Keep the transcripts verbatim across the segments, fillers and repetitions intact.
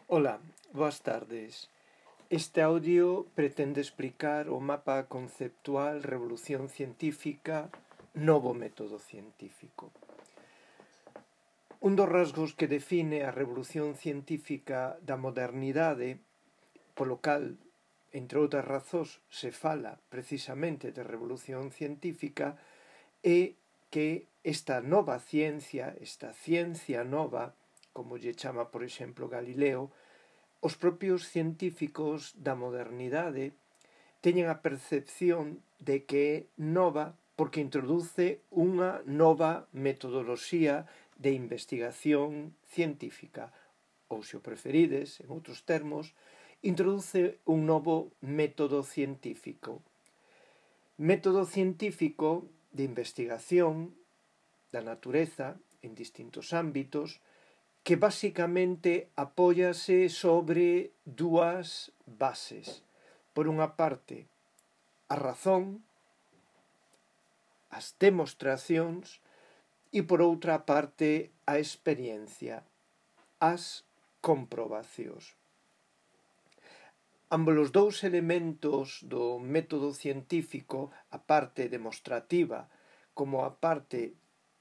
Ola, boas tardes. Este audio pretende explicar o mapa conceptual Revolución Científica, novo método científico. Un dos rasgos que define a Revolución Científica da modernidade, polo cal, entre outras razóns, se fala precisamente de Revolución Científica, é que esta nova ciencia, esta ciencia nova, como lle chama, por exemplo, Galileo, os propios científicos da modernidade teñen a percepción de que é nova porque introduce unha nova metodoloxía de investigación científica, ou, se o preferides, en outros termos, introduce un novo método científico. Método científico de investigación da natureza en distintos ámbitos, que basicamente apóyase sobre dúas bases. Por unha parte, a razón, as demostracións, e por outra parte, a experiencia, as comprobacións. Ambos os dous elementos do método científico, a parte demostrativa como a parte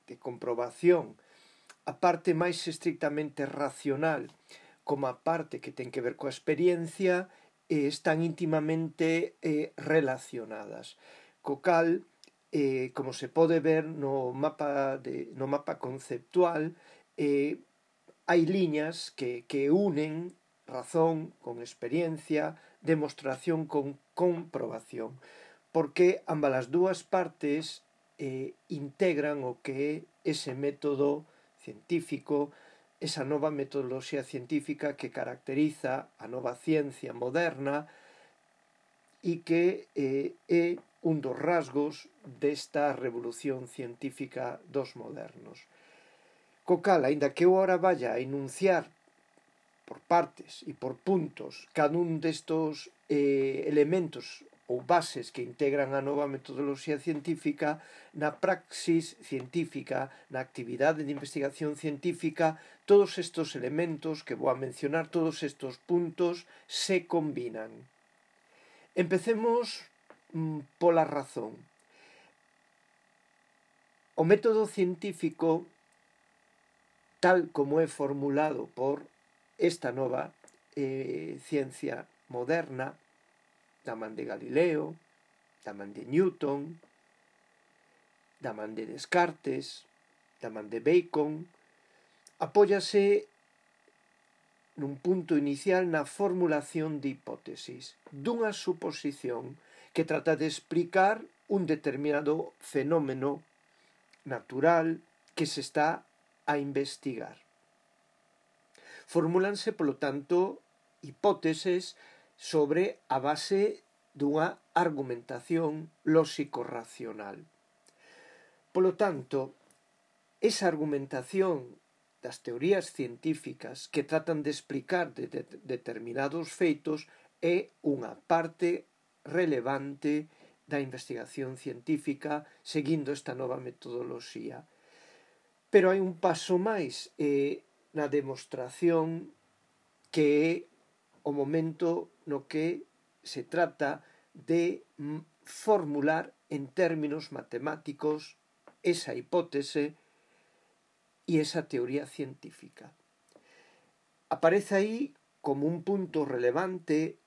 de comprobación, a parte máis estrictamente racional como a parte que ten que ver coa experiencia, eh, están íntimamente eh, relacionadas. Co cal, eh, como se pode ver no mapa, de, no mapa conceptual, eh, hai liñas que, que unen razón con experiencia, demostración con comprobación, porque ambas as dúas partes eh, integran o que é ese método científico, esa nova metodoloxía científica que caracteriza a nova ciencia moderna e que eh, é un dos rasgos desta revolución científica dos modernos. Co cal, aínda que eu ora vaya a enunciar por partes e por puntos cada un destos eh, elementos ou bases que integran a nova metodoloxía científica, na praxis científica, na actividade de investigación científica, todos estes elementos que vou a mencionar, todos estes puntos, se combinan. Empecemos mm, pola razón. O método científico, tal como é formulado por esta nova eh, ciencia moderna, da man de Galileo, da man de Newton, da man de Descartes, da man de Bacon, apóyase nun punto inicial na formulación de hipótesis, dunha suposición que trata de explicar un determinado fenómeno natural que se está a investigar. Formúlanse, polo tanto, hipóteses sobre a base dunha argumentación lóxico-racional. Polo tanto, esa argumentación das teorías científicas que tratan de explicar de, de, determinados feitos é unha parte relevante da investigación científica seguindo esta nova metodoloxía. Pero hai un paso máis eh, na demostración que é o momento no que se trata de formular en términos matemáticos esa hipótese e esa teoría científica. Aparece aí como un punto relevante,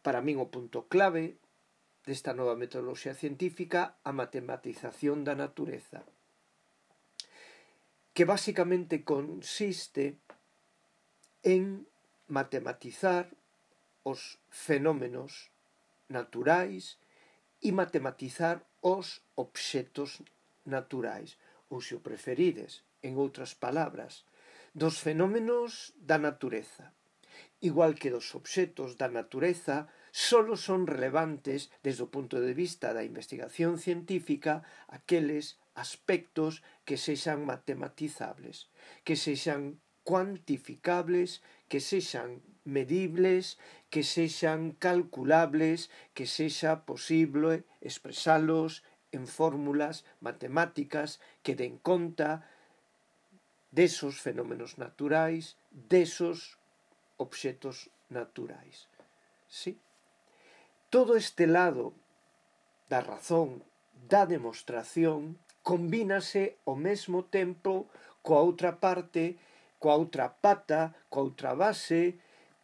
para min o punto clave desta nova metodoloxía científica, a matematización da natureza, que basicamente consiste en matematizar os fenómenos naturais e matematizar os obxetos naturais, ou, se o preferides, en outras palabras, dos fenómenos da natureza, igual que dos obxetos da natureza, solo son relevantes desde o punto de vista da investigación científica aqueles aspectos que sexan matematizables, que sexan cuantificables, que sexan medibles, que sexan calculables, que sexa posible expresalos en fórmulas matemáticas que den conta desos fenómenos naturais, desos obxetos naturais. Sí? Todo este lado da razón, da demostración, combínase ao mesmo tempo coa outra parte, coa outra pata, coa outra base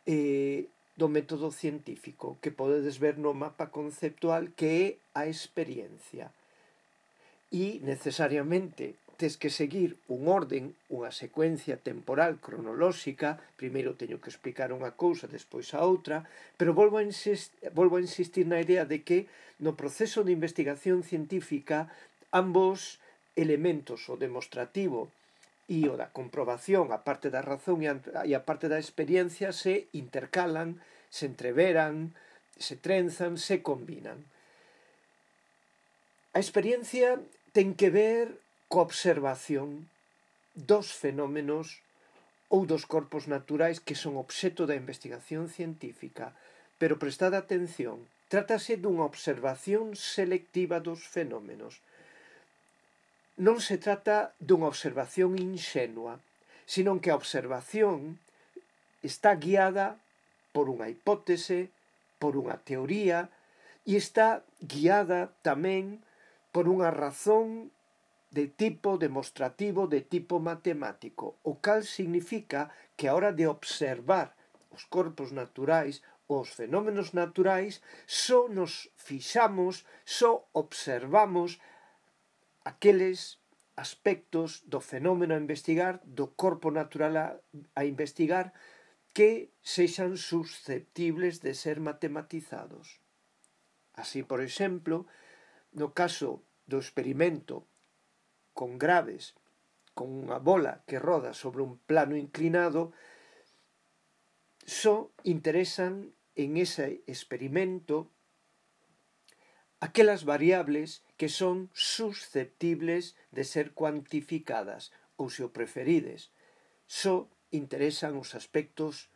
eh, do método científico, que podedes ver no mapa conceptual, que é a experiencia. E necesariamente tes que seguir un orden, unha secuencia temporal cronolóxica. Primeiro teño que explicar unha cousa, despois a outra, pero volvo a, insist, volvo a insistir na idea de que no proceso de investigación científica ambos elementos, o demostrativo e o da comprobación, a parte da razón e a, e a parte da experiencia, se intercalan, se entreveran, se trenzan, se combinan. A experiencia ten que ver coa observación dos fenómenos ou dos corpos naturais que son obxeto da investigación científica, pero prestad atención, trátase dunha observación selectiva dos fenómenos. Non se trata dunha observación inxenua, sino que a observación está guiada por unha hipótese, por unha teoría, e está guiada tamén por unha razón de tipo demostrativo, de tipo matemático, o cal significa que a hora de observar os corpos naturais, os fenómenos naturais, só nos fixamos, só observamos aqueles aspectos do fenómeno a investigar, do corpo natural a, a investigar, que sexan susceptibles de ser matematizados. Así, por exemplo, no caso do experimento con graves, con unha bola que roda sobre un plano inclinado, só interesan en ese experimento aquelas variables que son susceptibles de ser cuantificadas, ou se o preferides, só interesan os aspectos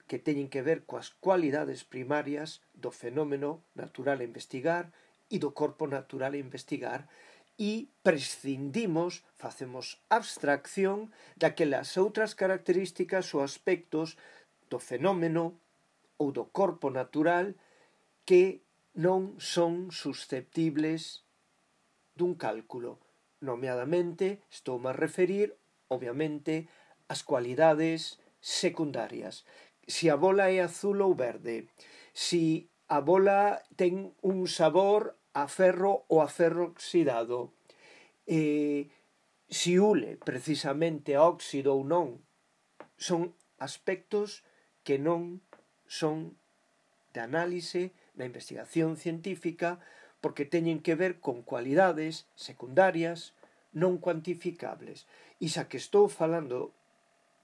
que teñen que ver coas cualidades primarias do fenómeno natural a investigar e do corpo natural a investigar, e prescindimos, facemos abstracción daquelas outras características ou aspectos do fenómeno ou do corpo natural que non son susceptibles dun cálculo. Nomeadamente, estou a referir, obviamente, as cualidades secundarias. Si a bola é azul ou verde, si a bola ten un sabor a ferro ou a ferro oxidado, eh, si ule precisamente a óxido ou non, son aspectos que non son de análise na investigación científica, porque teñen que ver con cualidades secundarias non cuantificables. E xa que estou falando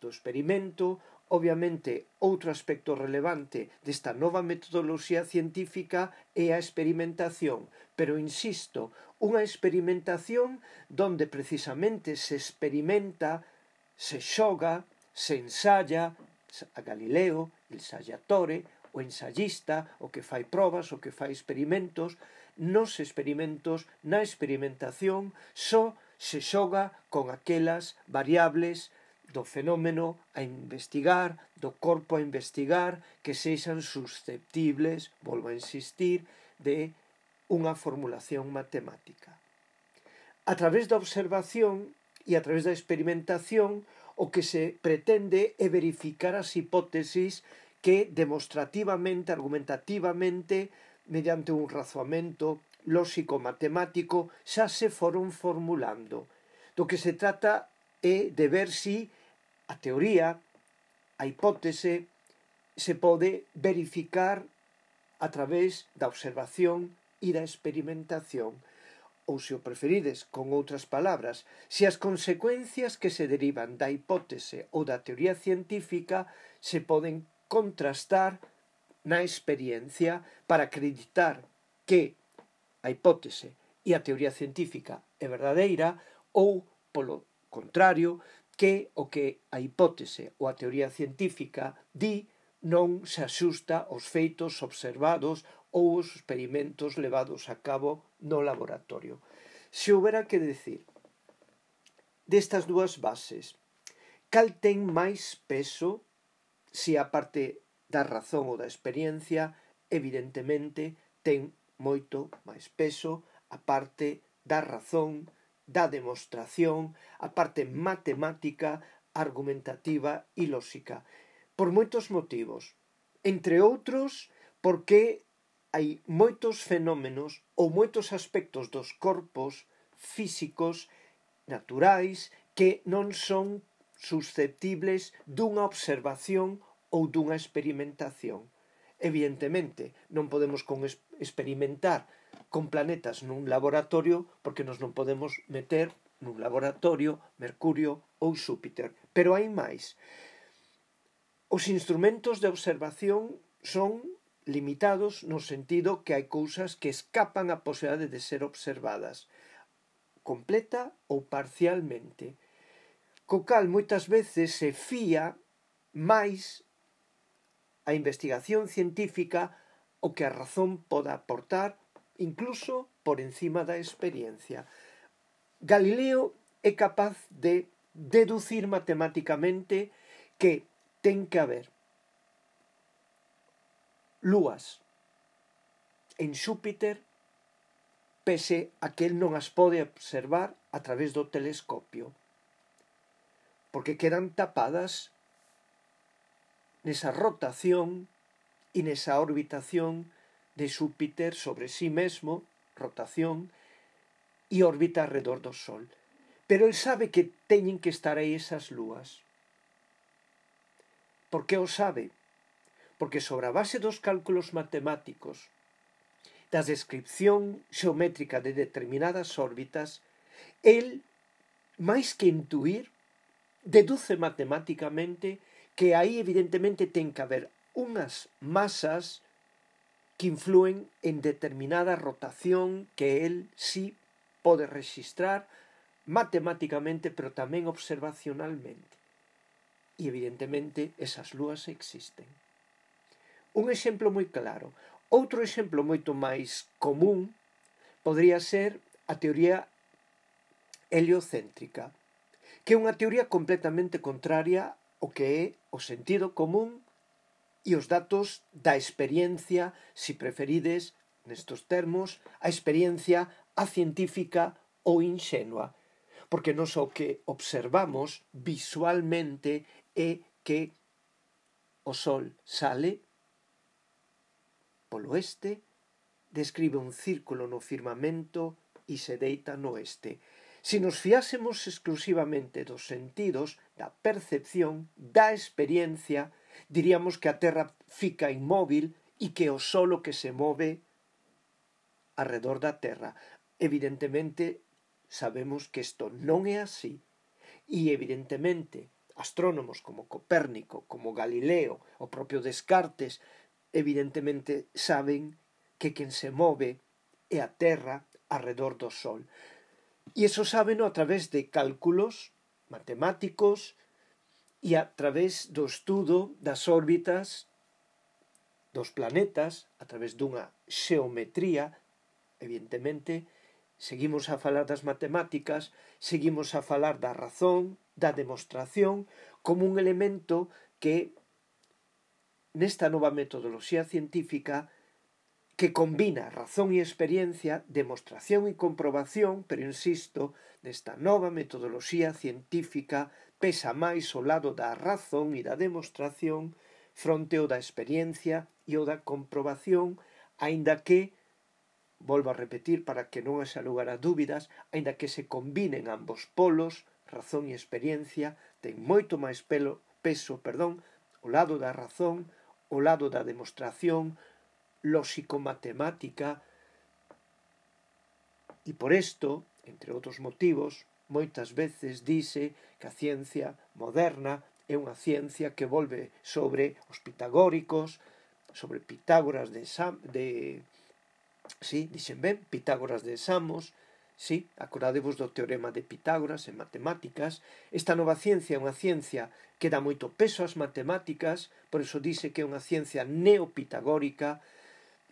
do experimento, obviamente outro aspecto relevante desta nova metodoloxía científica é a experimentación, pero insisto, unha experimentación donde precisamente se experimenta, se xoga, se ensaya, a Galileo, il ensayatore, o ensayista, o que fai probas, o que fai experimentos. Nos experimentos, na experimentación, só se xoga con aquelas variables do fenómeno a investigar, do corpo a investigar, que sexan susceptibles, volvo a insistir, de unha formulación matemática. A través da observación e a través da experimentación, o que se pretende é verificar as hipótesis que demostrativamente, argumentativamente, mediante un razoamento lóxico-matemático, xa se foron formulando. Do que se trata é de ver si a teoría, a hipótese, se pode verificar a través da observación e da experimentación. Ou, se o preferides, con outras palabras, se as consecuencias que se derivan da hipótese ou da teoría científica se poden contrastar na experiencia para acreditar que a hipótese e a teoría científica é verdadeira, ou, polo contrario, que o que a hipótese ou a teoría científica di non se axusta aos feitos observados ou os experimentos levados a cabo no laboratorio. Se houbera que decir destas dúas bases, cal ten máis peso si a parte da razón ou da experiencia, evidentemente ten moito máis peso a parte da razón, da demostración, a parte matemática, argumentativa e lóxica. Por moitos motivos. Entre outros, porque hai moitos fenómenos ou moitos aspectos dos corpos físicos naturais que non son susceptibles dunha observación ou dunha experimentación. Evidentemente, non podemos con experimentar con planetas nun laboratorio porque nos non podemos meter nun laboratorio Mercurio ou Xúpiter. Pero hai máis. Os instrumentos de observación son limitados no sentido que hai cousas que escapan a posibilidade de ser observadas completa ou parcialmente. Co cal moitas veces se fía máis a investigación científica o que a razón poda aportar, incluso por encima da experiencia. Galileo é capaz de deducir matemáticamente que ten que haber lúas en Xúpiter pese a que el non as pode observar a través do telescopio, porque quedan tapadas nesa rotación e nesa orbitación de Xúpiter sobre sí mesmo, rotación, e órbita alrededor do Sol. Pero el sabe que teñen que estar aí esas lúas. Por que o sabe? Porque sobre a base dos cálculos matemáticos, da descripción xeométrica de determinadas órbitas, el, máis que intuir, deduce matemáticamente que aí evidentemente ten que haber unhas masas que influen en determinada rotación que el sí pode registrar matemáticamente, pero tamén observacionalmente. E evidentemente esas lúas existen. Un exemplo moi claro. Outro exemplo moito máis común podría ser a teoría heliocéntrica, que é unha teoría completamente contraria ao que é o sentido común e os datos da experiencia, si preferides, nestos termos, a experiencia a científica ou inxenua. Porque non só que observamos visualmente é que o Sol sale polo oeste, describe un círculo no firmamento e se deita no oeste. Se nos fiásemos exclusivamente dos sentidos, da percepción, da experiencia, diríamos que a Terra fica inmóvil e que o Sol o que se move alrededor da Terra. Evidentemente, sabemos que isto non é así. E, evidentemente, astrónomos como Copérnico, como Galileo, o propio Descartes, evidentemente saben que quen se move é a Terra alrededor do Sol. E iso sábeno a través de cálculos matemáticos e a través do estudo das órbitas dos planetas, a través dunha xeometría. Evidentemente, seguimos a falar das matemáticas, seguimos a falar da razón, da demostración, como un elemento que, nesta nova metodoloxía científica, que combina razón e experiencia, demostración e comprobación, pero insisto, nesta nova metodoloxía científica pesa máis o lado da razón e da demostración fronte ao da experiencia e o da comprobación, aínda que, volvo a repetir para que non haxa lugar a dúbidas, aínda que se combinen ambos polos, razón e experiencia, ten moito máis pelo, peso, perdón, o lado da razón, o lado da demostración, lóxico-matemática, e por isto, entre outros motivos, moitas veces dice que a ciencia moderna é unha ciencia que volve sobre os pitagóricos, sobre Pitágoras de, Sam, de sí, dixen ben, Pitágoras de Samos, sí, acordadevos do teorema de Pitágoras en matemáticas. Esta nova ciencia é unha ciencia que dá moito peso ás matemáticas, por iso dice que é unha ciencia neopitagórica.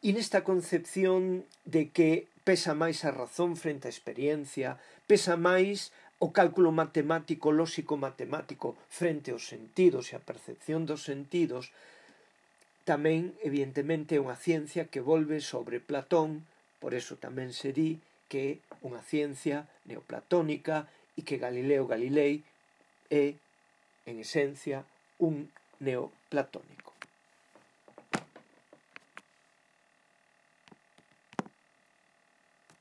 E nesta concepción de que pesa máis a razón frente á experiencia, pesa máis o cálculo matemático, lóxico-matemático frente aos sentidos e a percepción dos sentidos, tamén, evidentemente, é unha ciencia que volve sobre Platón, por eso tamén se di que é unha ciencia neoplatónica e que Galileo Galilei é, en esencia, un neoplatónico.